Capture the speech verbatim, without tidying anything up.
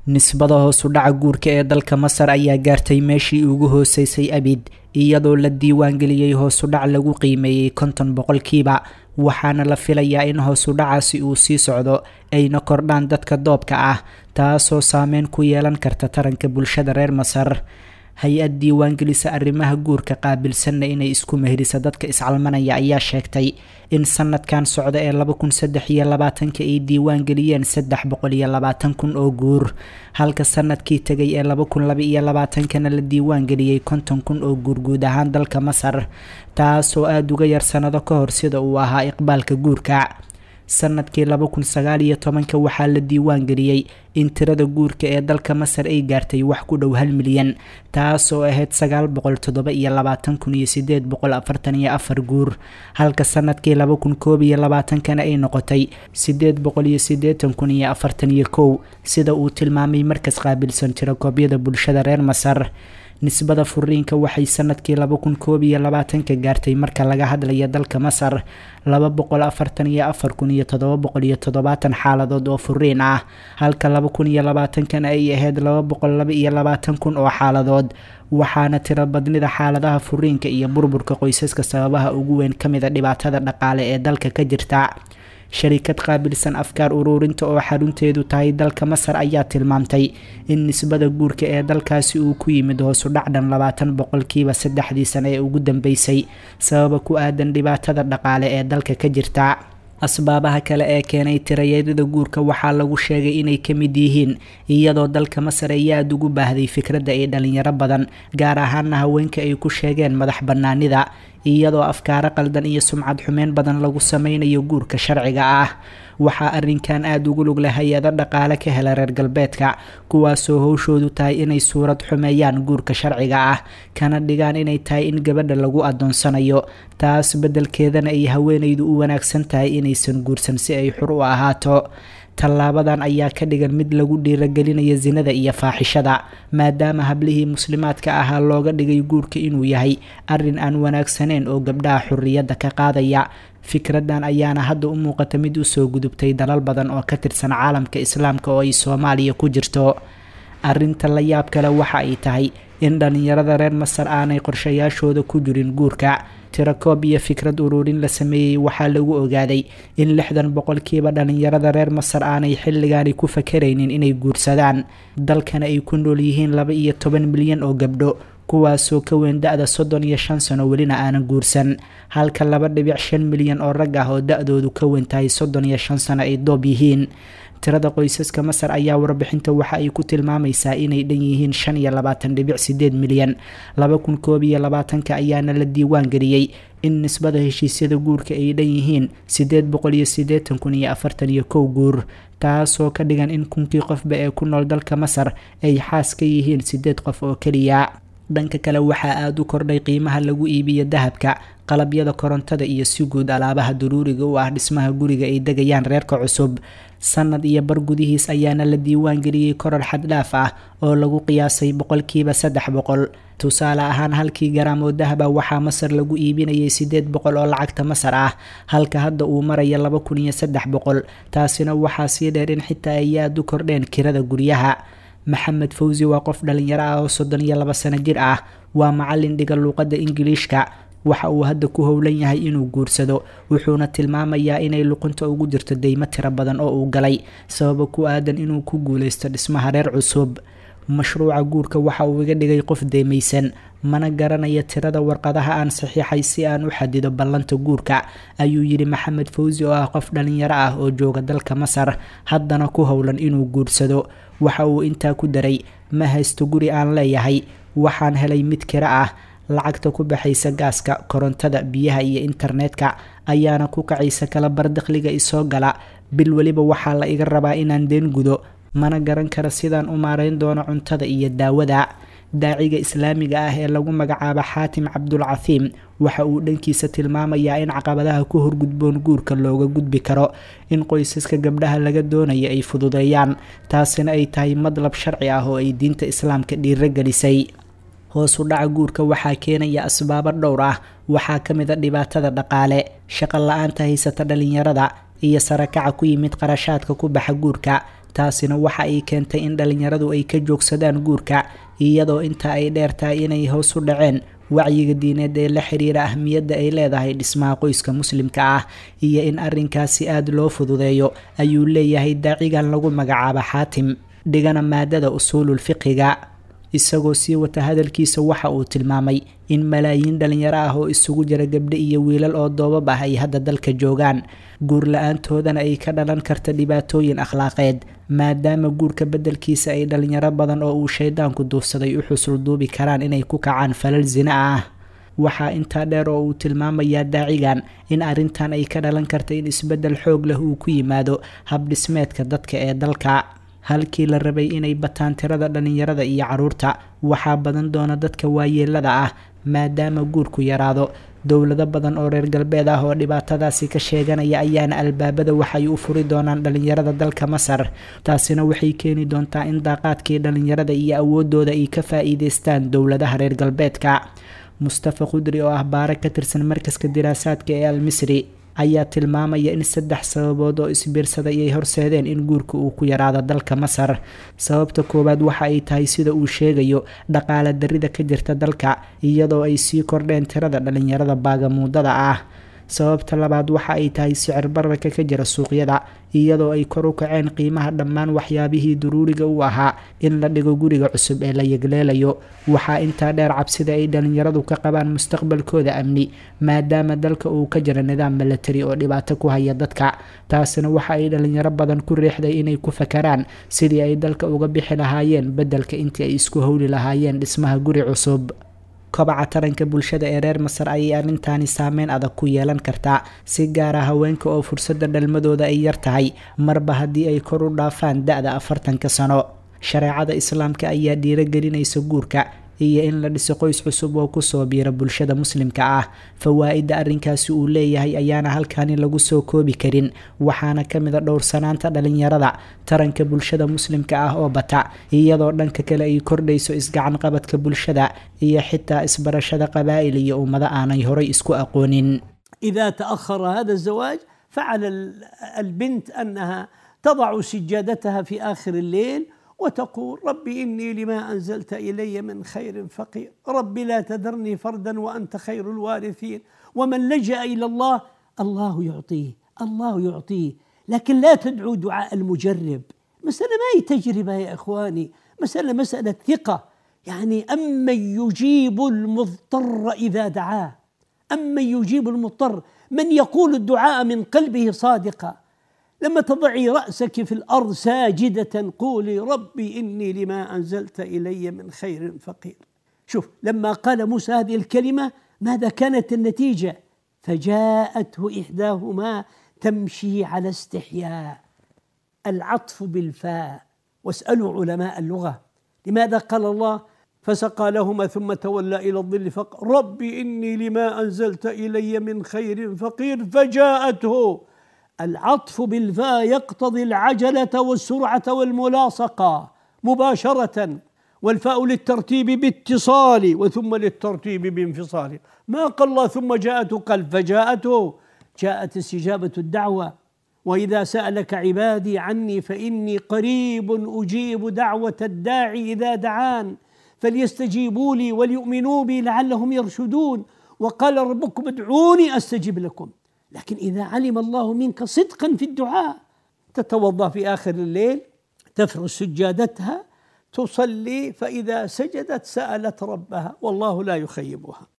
Nisbada hoos u dhaca guurka ee dalka Masar ayaa gaartay meeshii ugu hooseysay abid, iyadoo la diiwaangeliyey hoos u dhac lagu qiimeeyey konton boqolkiiba, waxaana la filayaa in hoos u dhacaasi uu sii socdo ayna kordhaan dadka doobka ah, taasoo saameyn ku yeelan karta taranka bulshada reer Masar. Hay-ad diiwaangelisa arrimaha guurka qaabilsanna inay isku meherisa dadka iscalmanaya ayaa sheegtay in sanadkan socda ee laba kun saddex iyo labaatanka ay diiwaangeliyeen saddex boqol iyo labaatan kun oo guur, halka sanadkii tegay ee laba kun laba iyo labaatankana la diiwaangeliyey konton kun oo guur guud ahaan dalka Masar, taasoo aada uga yar sanado ka hor sida uu ahaa iqbaalka guurka. Sanadkii laba kun sagaal iyo tobanka waxaa la diiwaan geliyey in tirada guurka ee dalka Masar ay gaartay wax ku dhow hal milyan, taasoo ahayd sagaal boqol toddoba iyo labaatan kun iyo sideed boqol afartan iyo afar guur, halka sanadkii laba kun koob iyo labaatankana ay noqotay sideed boqol iyo siddeetan kun iyo afartan iyo kow, sida uu tilmaamay markas qaabilsan tirakoobyada bulshada reer Masar. Nisbada furiinka waxay sanadkii laba kun koob iyo labaatanka gaartay, marka laga hadlaya dalka Masar, laba boqol afartan iyo afar kun iyo toddoba boqol iyo toddobaatan xaaladood oo furiin ah, halka laba kun iyo labaatankana ay ahayd laba boqol laba iyo labaatan kun oo xaaladood. Waxaana tiro badnida xaaladaha furiinka iyo burburka qoysaska sababaha ugu weyn ka mida dhibaatada dhaqaale ee dalka ka jirta. Sharikad qaabilsan afkaar ururinta oo xarunteedu tahay dalka Masar ayaa tilmaamtay in nisbada guurka ee dalkaasi uu ku yimid hoosu dhacdhan labaatan boqolkiiba saddexdii sane ee ugu dambeysay, sababa ku aadan dhibaatada dhaqaale ee dalka ka jirta. Asbaabaha kale ee keenay tirayeedada guurka waxaa lagu sheegay inay ka mid yihiin iyadoo dalka Masar ay aada ugu baahday fikradda ay dhalinyaro badan, gaar ahaana haweenka, ay ku sheegeen madax bannaanida, iyadoo afkaaro qaldan iyo sumcad xumeyn badan lagu sameynayo guurka sharciga ah. Waxaa arrinkan aada ugu lug leh hay-ado dhaqaale ka hela reer galbeedka, kuwaasoo howshoodu tahay inay suurad xumeeyaan guurka sharciga ah, kana dhigaan inay tahay in gabadha lagu adoonsanayo, taas beddelkeedana ay haweenaydu u wanaagsan tahay inaysan guursan si ay xur u ahaato. Tallaabadan ayaa ka dhigan mid lagu dhiiragelinayo sinada iyo faaxishada, maadaama hablihii muslimaadka ahaa looga dhigay guurka inuu yahay arrin aan wanaagsaneyn oo gabdhaha xurriyadda ka qaadaya. Fikraddan ayaana hadda u muuqata mid usoo gudubtay dalal badan oo ka tirsan caalamka Islaamka oo ay Soomaaliya ku jirto. Arrinta la yaab kale waxa ay tahay in dhalinyarada reer Masar aanay qorshayaashooda ku jirin guurka. Tirakoob iyo fikrad ururin la sameeyey waxaa lagu ogaaday in lixdan boqolkiiba dhalinyarada reer Masar aanay xilligaani ku fakaraynin inay guursadaan, dalkana ay ku nool yihiin laba iyo toban milyan oo gabdho, kuwaasoo ka weyn da-da soddon iyo shan sano welina aanan guursan, halka laba dhibic shan milyan oo rag ah oo da-doodu ka weyn tahay soddon iyo shan sano ay doob yihiin. Tirada qoysaska Masar ayaa warbixinta waxa ay ku tilmaamaysaa inay dhan yihiin shan iyo labaatan dhibic sideed milyan. Laba kun koob iyo labaatanka ayaana la diiwaan geliyey in nisbada heshiisyada guurka ay dhan yihiin sideed boqol iyo siddeetan kun iyo afartan iyo kow guur, taasoo ka dhigan in kunkii qofba ee ku nool dalka Masar ay xaas ka yihiin sideed qof oo keliya. Dhanka kale, waxaa aada u kordhay qiimaha lagu iibiyo dahabka, qalabyada korontada iyo si guud alaabaha daruuriga u ah dhismaha guriga ay degayaan reerka cusub. Sanad iyo bar gudihiis ayaana la diiwaan geliyey koror xaddhaaf ah oo lagu qiyaasay boqolkiiba saddex boqol. Tusaale ahaan, halkii garaam oo dahaba waxaa Masar lagu iibinayay sideed boqol oo lacagta Masar ah, halka hadda uu maraya laba kun iyo saddex boqol. Taasina waxaa sii dheer in xitaa ay aada u kordheen kirada guryaha. Maxamed Fawsi waa qof dhalinyaro ah oo soddon iyo laba sano jir ah, waa macalin dhiga luuqadda Ingiliishka. Waxa uu hadda ku howlan yahay inuu guursado, wuxuuna tilmaamayaa inay luqunta ugu jirto deymo tiro badan oo uu galay sababa ku aadan inuu ku guuleysto dhismaha reer cusub. Mashruuca guurka waxa uu iga dhigay qof deymaysan, mana garanayo tirada warqadaha aan saxiixay si aan u xadido ballanta guurka, ayuu yidhi Maxamed Fawsi oo ah qof dhalinyaro ah oo jooga dalka Masar, haddana ku howlan inuu guursado. Waxa uu intaa ku daray, ma haysto guri aan leeyahay, waxaan helay mid kira ah. Lacagta ku baxaysa gaaska, korontada, biyaha iyo internetka ayaana ku kacaysa kala bar dakhliga isoo gala. Bil weliba waxaa la iga rabaa inaan deen gudo, mana garan kara sidaan u maarayn doono cuntada iyo daawada. Daaciga Islaamiga ah ee lagu magacaabo Xaatim Cabdulcathiim waxa uu dhankiisa tilmaamayaa in caqabadaha ku horgudboon guurka looga gudbi karo in qoysaska gabdhaha laga doonayo ay fududeeyaan, taasina ay tahay madlab sharci ah oo ay diinta Islaamka dhiiro gelisay. Hoos u dhaca guurka waxaa keenaya asbaabo dhowr ah. Waxaa ka mid a dhibaatada dhaqaale, shaqo la-aanta haysata dhalinyarada iyo sarakaca ku yimid qarashaadka ku baxa guurka, Taasina waxa ay keentay in dhalinyaradu ay ka joogsadaan guurka, iyadoo inta ay dheertahay inay hoos u dhaceen wacyiga diineed ee la xiriira ahmiyadda ay leedahay dhismaha qoyska muslimka ah iyo in arrinkaasi aada loo fududeeyo, ayuu leeyahay daacigan lagu magacaabo Xaatim, dhigana maadada usuulul fiqiga. Isagoo sii wata hadalkiisa waxa uu tilmaamay in malaayiin dhalinyaro ah oo isugu jira gabdho iyo wiilal oo doobab ah ay hadda dalka joogaan, guur la-aantoodana ay ka dhalan karta dhibaatooyin akhlaaqeed, maadaama guurka beddelkiisa ay dhalinyaro badan oo uu shaydaanku duufsaday u xusul duubi karaan inay ku kacaan falal zina ah. Waxaa intaa dheer oo uu tilmaamayaa daacigan in arrintan ay ka dhalan karta in isbeddel xoog leh uu ku yimaado habdhismeedka dadka ee dalka. Halkii la rabay inay bataan tirada dhalinyarada iyo caruurta, waxaa badan doona dadka waayeelada ah maadaama guurku yaraado. Dowlado badan oo reer galbeed ah oo dhibaatadaasi ka sheeganaya ayaana albaabada waxay u furi doonaan dhalinyarada dalka Masar. Taasina waxay keeni doontaa in daaqaadkii dhalinyarada iyo awoodooda ay ka faa'iideystaan dowladaha reer galbeedka. Mustafa Qudri oo ah baare ka tirsan markaska diraasaadka ee Al-Misri ayaa tilmaamaya in saddex sababood oo isbiirsaday ay horseedeen in guurka uu ku yaraado dalka Masar. Sababta koowaad waxa ay tahay, sida uu sheegayo, dhaqaale darrida ka jirta dalka, iyadoo ay sii kordheen tirada dhalinyarada baagamuudada ah. Sababta labaad waxa ay tahay sicir bararka ka jira suuqyada, iyadoo ay kor u kaceen qiimaha dhammaan waxyaabihii daruuriga u ahaa in la dhigo guriga cusub ee la yegleelayo. Waxaa intaa dheer cabsida ay dhalinyaradu ka qabaan mustaqbalkooda amni, maadaama dalka uu ka jira nidaam milatari oo dhibaato ku haya dadka. Taasina waxa ay dhalinyaro badan ku riixday inay ku fakaraan sidii ay dalka uga bixi lahaayeen beddelka intii ay isku howli lahaayeen dhismaha guri cusub. Kobaca taranka bulshada ee reer Masar ayay arrintaani saameyn adag ku yeelan kartaa, si gaara haweenka oo fursadda dhalmadooda ay yar tahay marba haddii ay kor u dhaafaan da-da afartanka sano. Shareecada islaamka ayaa dhiiragelinaysa guurka iyo in la dhiso qoys cusub oo kusoo biira bulshada muslimka ah. Fawaa'idda arrinkaasi uu leeyahay ayaana halkaani lagu soo koobi karin, waxaana ka mid a dhowrsanaanta dhalinyarada, taranka bulshada muslimka ah oo bata, iyadoo dhanka kale ay kordhayso isgacan qabadka bulshada iyo xitaa isbarashada qabaa'il iyo ummado aanay horay isku aqoonin. إذا تأخر هذا الزواج فعلى البنت أنها تضع سجادتها في آخر الليل وتقول: ربي إني لما أنزلت إلي من خير فقير، ربي لا تذرني فردا وأنت خير الوارثين. ومن لجأ إلى الله الله يعطيه، الله يعطيه. لكن لا تدعو دعاء المجرب. مسألة ما هي تجربة يا إخواني، مسألة مسألة ثقة. يعني أمن يجيب المضطر إذا دعاه، أمن يجيب المضطر، من يقول الدعاء من قلبه صادقا. لما تضعي رأسك في الأرض ساجدة قولي: ربي إني لما أنزلت إلي من خير فقير. شوف لما قال موسى هذه الكلمة ماذا كانت النتيجة؟ فجاءته إحداهما تمشي على استحياء. العطف بالفاء. واسألوا علماء اللغة لماذا قال الله فسقى لهما ثم تولى إلى الظل فقال ربي إني لما أنزلت إلي من خير فقير فجاءته. العطف بالفاء يقتضي العجلة والسرعة والملاصقة مباشرة، والفاء للترتيب باتصال وثم للترتيب بانفصال. ما قال الله ثم جاءته، قال فجاءته. جاءت استجابة الدعوة. وإذا سألك عبادي عني فإني قريب أجيب دعوة الداعي إذا دعان فليستجيبوا لي وليؤمنوا بي لعلهم يرشدون. وقال ربكم ادعوني أستجب لكم. لكن إذا علم الله منك صدقا في الدعاء تتوضأ في آخر الليل، تفرش سجادتها، تصلي، فإذا سجدت سألت ربها والله لا يخيبها.